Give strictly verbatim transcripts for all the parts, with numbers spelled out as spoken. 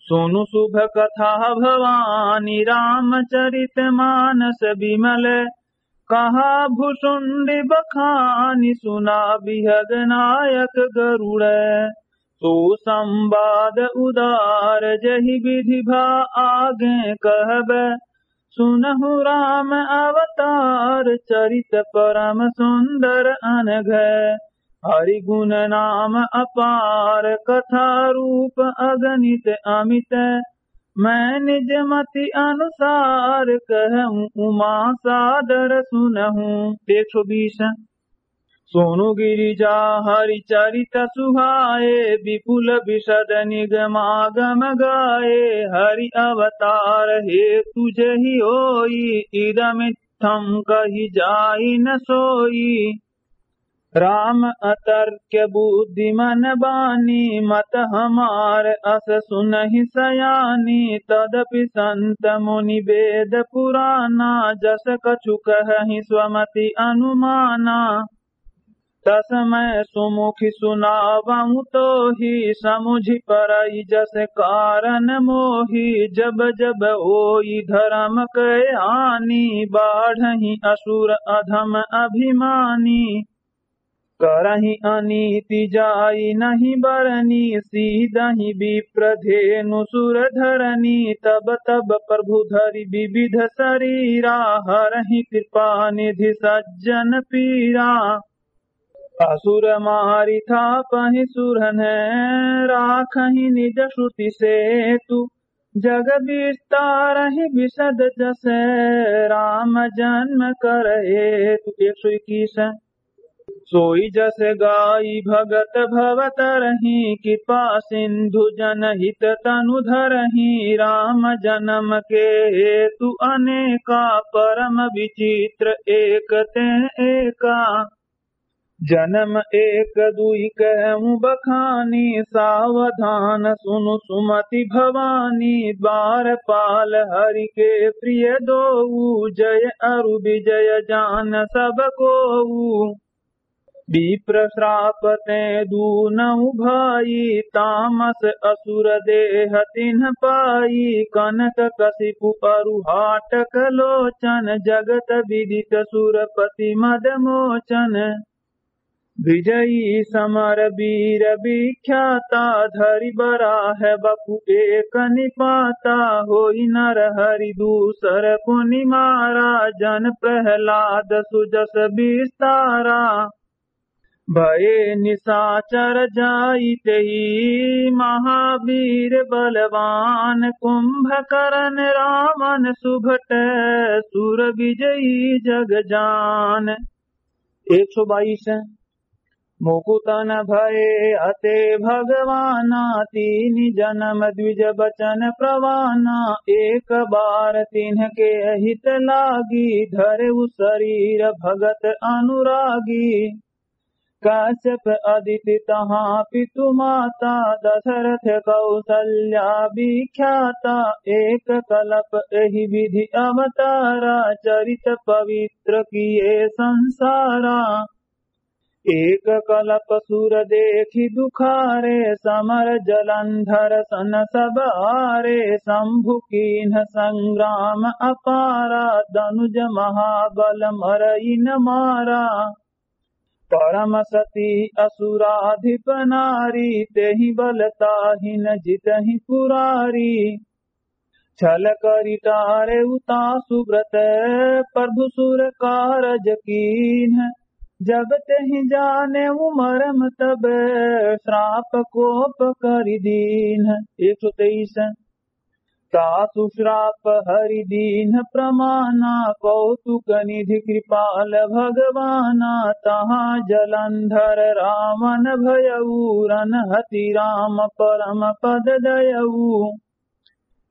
सुनु शुभ कथा भवानी रामचरित मानस विमल। कहा भुसुंडी बखानी सुना बिहग नायक गरुड़। सो संवाद उदार जहि विधि भा आगे कहब। सुनहु राम अवतार चरित परम सुंदर अनघ। हरि गुण नाम अपार कथा रूप अगणित अमित। मैं निज मति अनुसार कहूँ उमा सादर सुनहु। एक सौ बीस। सोनु गिरिजा हरि चरित सुहाए, विपुल विशद निगमागम गाए। हरि अवतार हेतु जहि होई, इदमित्थम कहि जाई न सोई। राम अतर्क्य बुद्धि मन बानी, मत हमार अस सुनहि सयानी। तदपि संत मुनि वेद पुराना, जस कछु कहहि स्वमति अनुमाना। तस मैं सुमुखि सुनावहु तोहि, समुझि परई जस कारण मोहि। जब जब होई धर्म के हानि, बाढ़ही असुर अधम अभिमानी। करही अनीति जाई नहीं बरनी, सीदही विप्र धेनु सुर धरनी। तब तब प्रभु धरि विविध शरीरा, हरहि कृपा निधि सज्जन पीरा। असुर मारि थापहि सुरन, राखहि निज श्रुति सेतु। जग विस्तारहि विशद जस, राम जन्म कर हेतु। एक सौ इक्कीस। सोई जस गाई भगत भव तरही, कृपा सिंधु जनहित तनु धरही। राम जन्म के हेतु अनेका, परम विचित्र एक ते एका। जन्म एक दुई कहूँ बखानी, सावधान सुनु सुमति भवानी। द्वारपाल हरि के प्रिय दोऊ, जय अरु विजय जान सब कोऊ। विप्र श्राप ते दूनहु भाई, तामस असुर देह तिन्ह पाई। कनक कशिपु अरु हाटक लोचन, जगत विदित सुरपति मद मोचन। विजयी समर वीर विख्याता, धरि बराह बपु एक निपाता। होई नर हरि दूसर पुनि मारा, जन प्रहलाद सुजस विस्तारा। भये निशाचर जाई तेहि महावीर बलवान, कुंभकरन रावण सुभट सुर विजयी जग जान। एक सौ बाईस। मुकुतन भये अते भगवाना, तीन जनम द्विज बचन प्रवाना। एक बार तिन्ह के हित लागी, धरउ शरीर भगत अनुरागी। कश्यप अदिति तहाँ पितु माता, दशरथ कौसल्या विख्याता। एक कलप एहि विधि अवतारा, चरित पवित्र किए संसारा। एक कलप सुर देखि दुखारे, समर जलंधर सन सब हारे। शंभु कीन्ह संग्राम अपारा, दनुज महाबल मरइ न मारा। परम सती असुराधिप नारी, तेहि बल ताहि न जितहि पुरारी। छल करि टारेउ तासु व्रत, प्रभु सुर कारज कीन्ह। जब तेहि जानेउ मरम तब, श्राप कोप करि दीन्ह। एक सौ तेईस। तासु श्राप हरि दीन्ह प्रमाना, कौतुक निधि कृपाल भगवाना। तहाँ जलंधर रावण भयऊ, रन हति राम परम पद दयऊ।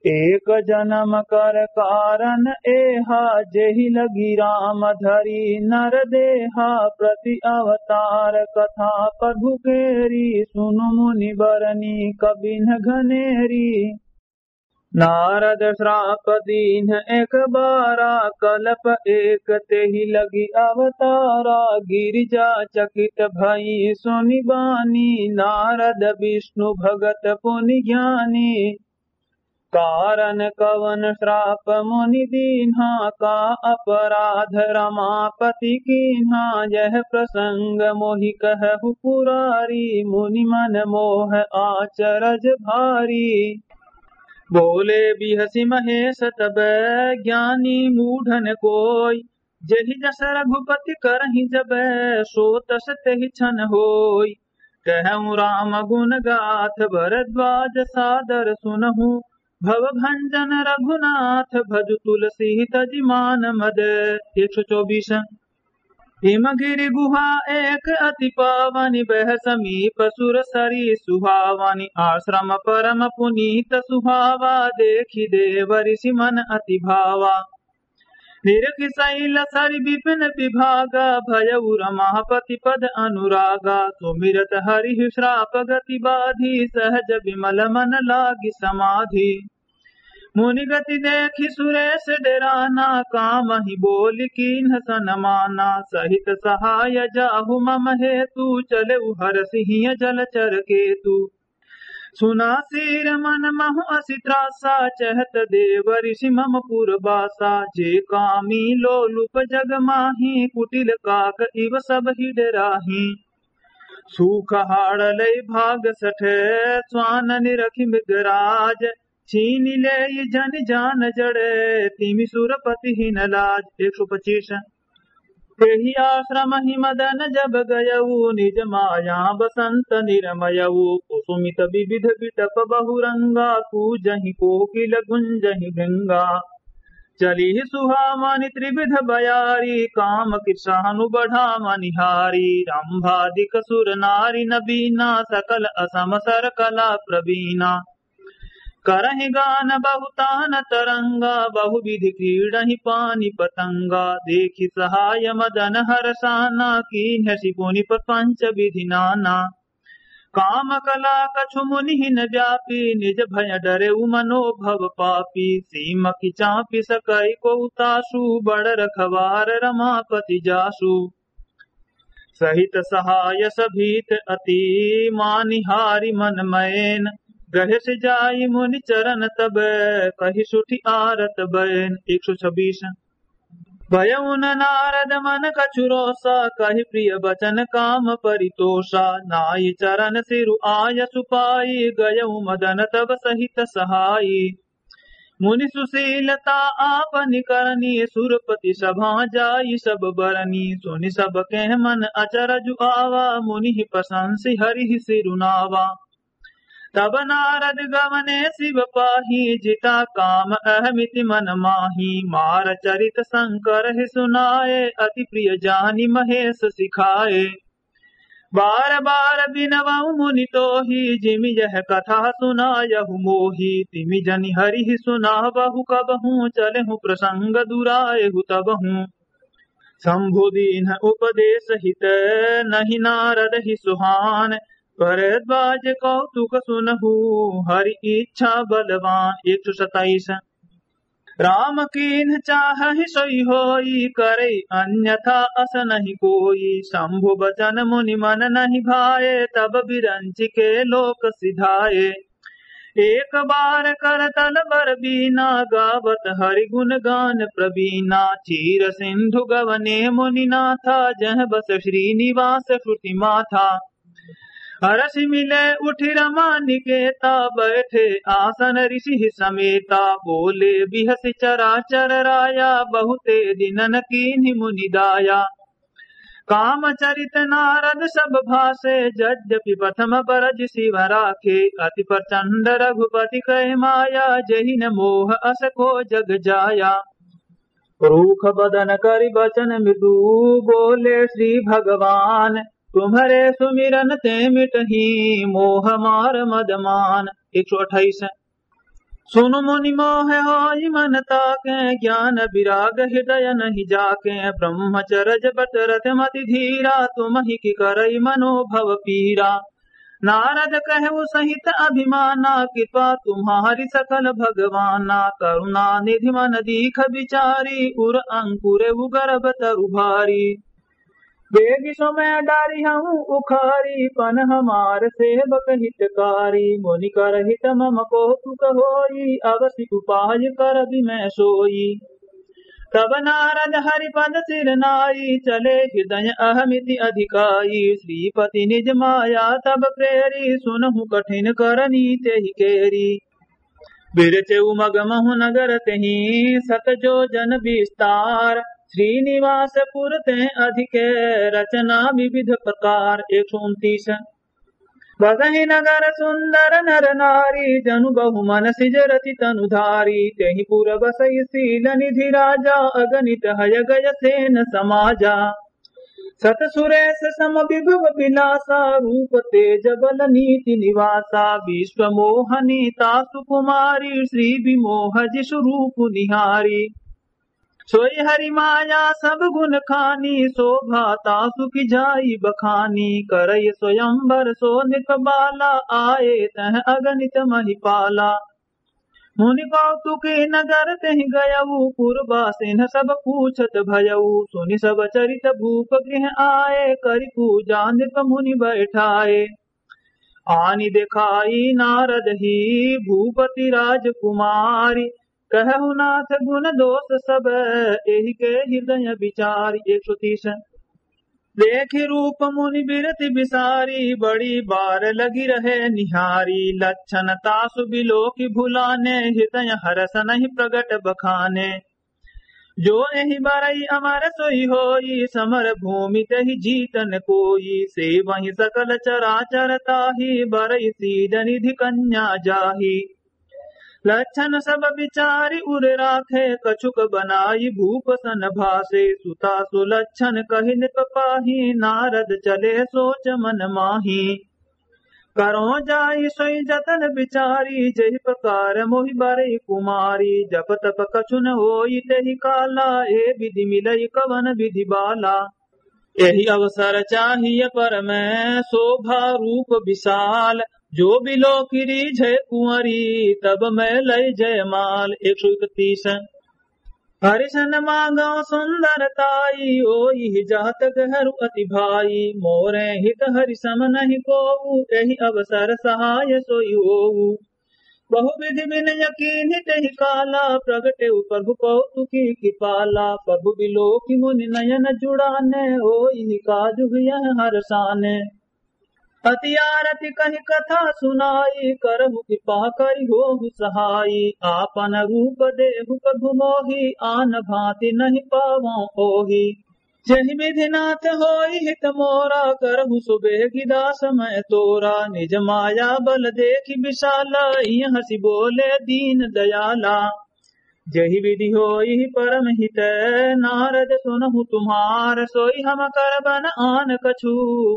एक जनम कर कारण एहा, जेहि लगि राम धरि नर देहा। प्रति अवतार कथा प्रभु केरी, सुनु मुनि बरनी कबिन्ह घनेरी। नारद श्राप दीन्ह एक बारा, कलप एक तेहि लगि अवतारा। गिरिजा चकित भई सुनि बानी, नारद विष्णु भगत पुनि ज्ञानी। कारण कवन श्राप मुनि दीन्हा, का अपराध रमापति कीन्हा, यह प्रसंग मोहि कहु पुरारी, मुनि मन मोह आचरज भारी। बोले बिहसि महेश तब ज्ञानी मूढ़न कोई, जेहि जस रघुपति करहिं जब, सो तस तेहि छन होई। कहउँ राम गुन गाथ भरद्वाज सादर सुनहु, भव भंजन रघुनाथ भजु तुलसी तजि मान मद। एक सौ चौबीस। हिमगिरि गुहा एक अति पावनि, बह समीप सुर सरी सुहावनि। आश्रम परम पुनीत सुहावा, देखि देव ऋषि मन अति भावा। निरखि सैल सरि विपिन विभागा, भयउ रमापति पद अनुरागा। सुमिरत हरिहि श्राप गति बाधी, सहज विमल मन लागि समाधी। मुनि गति देखि सुरेश डेराना, कामहि बोलि कीन्ह सनमाना। सहित सहाय जाहु मम हेतु, चलेउ हरषि हिय जलचर केतु। सुना सीर मन महु असि त्रासा, चहत देव ऋषि मम पुर बासा। जे कामी लोलुप जग माही, कुटिल काक इव सबहि डेराही। सूख हाड़ लई भाग सठ, स्वान निरखि मृगराज। छीनि लेइ जनि जान जड़, तिमि सुरपति हिन लाज। एक सौ पच्चीस। तेहि आश्रम ही मदन जब गयउ, निज माया बसंत निरमयउ। कुसुमित विविध बिटप बहुरंगा, कूजहि कोकिल गुंजहि भृंगा। चलिहि सुहावनि त्रिविध बयारी, काम कृशानु बढ़ावनि हारी। रंभादिक सुर नारी नबीना, सकल असम सर कला प्रवीणा। करहिं गान बहु तान तरंगा, बहुविधि क्रीड़हिं पानि पतंगा। देखि सहाय मदन हरषाना, कीन्हसि पुनि प्रपंच विधि नाना। काम कला कछु मुनि हिन व्यापी, निज भय डरेउ मनोभव पापी। सीम की चापि सकइ कोउ तासु, बड़ रखवार रमापति जासु। सहित सहाय सभीत अति, मानि हारि मन मैन। गहेसि जाइ मुनि चरन तब, कहि सुठि आरत बैन। एक सौ छब्बीस। भयउन नारद मन कछु रोसा, कहि प्रिय बचन काम परितोषा। नाइ चरन सिरु आयसु पाई, गयउ मदन तब सहित सहाई। मुनि सुशीलता आपनि करनी, सुरपति सभा जाई सब बरनी। सुनि सब केह मन अचरजु आवा, मुनिहि प्रशंसि हरिहि सिरु नावा। तब नारद गवने शिव पाही, जिता काम अहमिति मन माही। मार चरित शंकर ही सुनाए, अति प्रिय जानि महेश सिखाए। बार बार बिनवउ मुनि तोही, जिमि यह कथा सुनायहु मोही। तिमि जनि हरिहि सुनावहु कबहूँ, चलेहु प्रसंग दुराएहु तबहूँ। शंभु दीन्ह उपदेश हित, नहिं नारद ही सुहान। भरद्वाज कौतुक सुनहु, हरि इच्छा बलवान। एक सौ सताइस। राम कीन्ह चाहहि सोई होई, करइ अन्यथा अस नहीं कोई। शंभु बचन मुनि मन नहीं भाए, तब बिरंचि के लोक सिधाए। एक बार करतल बर बीना, गावत हरि गुन गान प्रवीना। चीर सिंधु गवने मुनि नाथा, जह बस श्रीनिवास श्रुति माथा। हरषि मिले उठि रमा निकेता, बैठे आसन ऋषि समेता। बोले बिहसि चराचर राया, बहुते दिनन कीन्हि मुनि दाया। काम चरित नारद सब भाषे, यद्यपि प्रथम बरज शिव राखे। अति प्रचंड रघुपति कहि माया, जहि न मोह अस को जग जाया। रूख बदन करि बचन मृदु, बोले श्री भगवान। तुम्हरे सुमिरन ते मिटही, मोह मार मद मान। एक सौ अट्ठाईस। सुनु मुनि मोह होइ मन ताके, ज्ञान विराग हृदय नहीं जाके। ब्रह्मचरज बट रत मति धीरा, तुमहि कि करइ मनोभव पीरा। नारद कहउ सहित अभिमाना, कृपा तुम्हारी सकल भगवाना। करुणा निधि मन दीख विचारी, उर अंकुर उ गर्भ तरु भारी। बेगि समय डारिहउँ उखारी, पन हमार सेवक हितकारी। मुनि कर हित मम कौतुक होई, अवसि उपाय करबि मैं सोई। तब नारद हरिपद सिर नाई, चले हृदय अहमिति अधिकाई। श्रीपति निज माया तब प्रेरी, सुनहु कठिन करनी तेहि केरी। बिरचउ मग महु नगर तेहि, सत जोजन विस्तार। श्रीनिवास पुर तें अधिक, रचना विविध प्रकार। एक सौ उनतीस। बसहि नगर सुंदर नर नारी, जनु बहु मन सिज रति तनु धारी। तेहि पुर बसइ शील निधि राजा, अगणित हय गय सेन समाजा। सत सुरेश सम विभव विलासा, रूप तेज बल नीति निवासा। विश्व मोहनी तासु कुमारी, श्री विमोह जिसु रूप निहारी। सोई हरि माया सब गुण खानी, शोभा तासु की जाई बखानी। करइ स्वयंवर सो नृप बाला, आए तह अगणित महिपाला। मुनि कौतुकी नगर तेहि गयउ, पुरवासिन सब पूछत भयउ। सुनि सब चरित भूप गृह आए, करि पूजा नृप मुनि बैठाए। आनि देखाई नारद ही भूपति राजकुमारी। कहहु नाथ गुण दोष सब, एहि के हृदय विचारी। एक सौ तीस। देखि रूप मुनि बिरति बिसारी, बड़ी बार लगी रहे निहारी। लक्षण तासु बिलोकि भुलाने, हृदय हरष नहीं प्रगट बखाने। जो एहि बरई अमर सोई होई, समर भूमि तेहि जीत न कोई। सेवहि सकल चराचर ताहि, बरई सीज निधि कन्या जाहि। लक्षण सब बिचारि उर राखे, कछुक बनाई भूप सन भासे। सुता सुलक्षण कहि नृप पाहि, नारद चले सोच मन माहि। करो जाई सोई जतन बिचारी, जेहि प्रकार मोहि बरई कुमारी। जप तप कछु न होई तेहि काला, ए विधि मिलई कवन विधि बाला। एहि अवसर चाहिय परम शोभा रूप विशाल। जो बिलोकि रीझे कुंवरी, तब मैं लई जयमाल। एक सौ इकतीस। हरिसन मांगो सुंदर ताई, ओइहि जात गहरू अति भाई। मोरे हित हरि सम नहीं कोऊ, एहि अवसर सहाय सोई होऊ। बहु विधि विनय कीन्हि तेहि काला, प्रगटेउ प्रभु कौतुकी कृपाला। प्रभु बिलोकि मुनि नयन जुड़ाने, ओइहि काजु यह हरसाने। अति आरती कहि कथा सुनाई, करहु कृपा करि होहु सहाई। आपन रूप देहु प्रभु मोहि, आन भांति नहीं पावों ओहि। जेहि विधि नाथ होई हित मोरा, करहु सुबेहि दास मैं तोरा। निज माया बल देखि विशाला, इहं हँसि बोले दीन दयाला। जेहि विधि होई परम हित, नारद सुनहु तुम्हार। सोई हम करबन आन कछु,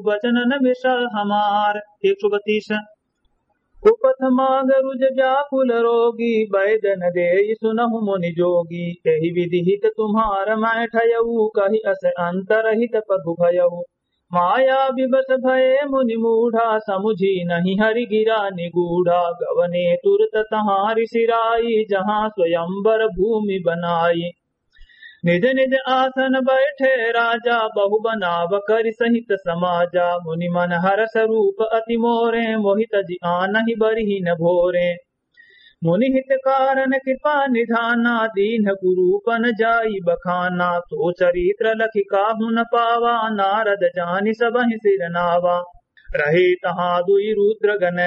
बचन न विसर हमार। एक सौ बत्तीस। उपथ माग रुज व्याकुल रोगी, बैद न देई सुनहु मुनि जोगी। एहि विधि हित तुम्हार मैं ठयऊ, कहि अस अंतरहित प्रभु भयऊ। माया विवश भये मुनि मूढ़ा, समुझी नहीं हरि गिरा निगूढ़ा। गवने तुरत तहाँ ऋषि राई, जहाँ स्वयंवर भूमि बनाई। निज निज आसन बैठे राजा, बहु बनाव करि सहित समाजा। मुनि मन हरष रूप अति मोरे, मोहि तजि आनहि बरिहिन भोरे। मुनि हित कारण कृपा निधाना, दीन्ह कुरूपन जाई बखाना। सो चरित्र लखि काहु न पावा, नारद जानि सबहिं सिर नावा। रहे तहाँ दुइ रुद्र गण,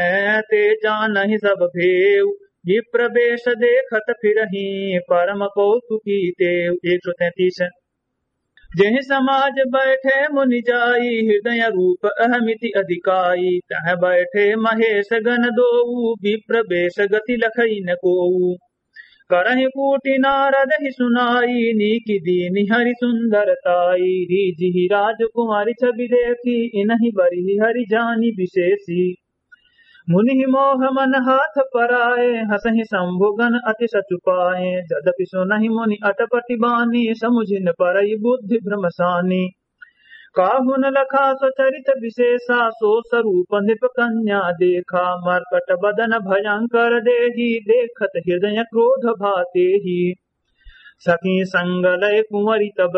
ते जानहि सब भेव। विप्र बेष देखत फिरहिं, परम कौतुकी तेव। एक सौ तैंतीस। जेहि समाज बैठे मुनि जाई, हृदय रूप अहमिति अधिकाई। तह बैठे महेश गण दोऊ, विप्र बेष गति लखइ न कोऊ। करहिं कूटि नारद ही सुनाई, नीकि दीन्हि हरि सुंदर ताई। रीझिहि राजकुमारी छवि देखि, इनहिं बरिहि हरि जानि विशेषी। मुनि मोह मन हाथ पराए, हँसहिं शंभु गण अति सचु पाए। जदपि सुनहिं मुनि अटपटि बानी, समुझि न परइ बुद्धि भ्रम सानी। काहु न लखा सो चरित विशेषा, सो सरूप नृप कन्या देखा। मर्कट बदन भयंकर देहि, देखत हृदय क्रोध भा तेहि। सखी संग लय कुंवरी तब,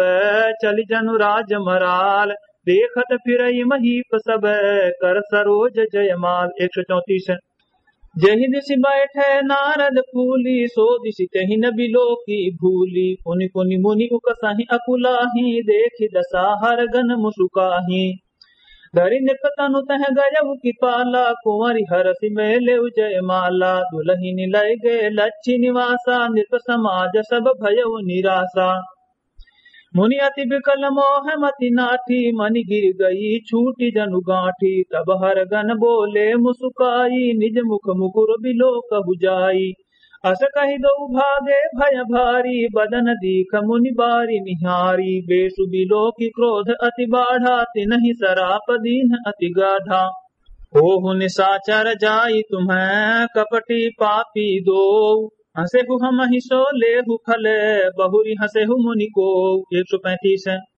चलि जनु राज मराल। देखत फिरई महीप सब कर सरोज जयमाल। एक सौ चौंतीस। जेहि दिशि बैठे नारद फूली, सो दिशि तेहि न बिलोकि भूली। पुनि पुनि मुनि उकसहि अकुलाही, देखि दशा हर गन मुसुकाही। धरि नृप तनु तह गयउ कि पाला, कुंवरि हरषि में लेउ जयमाला। दुलहिनि लय गए लच्छि निवासा, नृप समाज सब भयउ निरासा। मुनि अति बिकल मोह मति नाठी, मनि गिर गई छूटि जनु गांठी। तब हर गन बोले मुसुकाई, निज मुख मुकुर बिलोकहु जाई। अस कहि दउ भागे भय भारी, बदन दीख मुनि बारि निहारी। बेसु बिलोकि क्रोध अति बाढ़ा, तिनहि सराप दीन्ह अति गाढ़ा। होहु निसाचर जाई तुम्ह कपटी पापी दोउ। हंसेहु हमहि सो लेहु खल, बहुरि हंसेहु मुनि कोउ। एक सौ पैंतीस।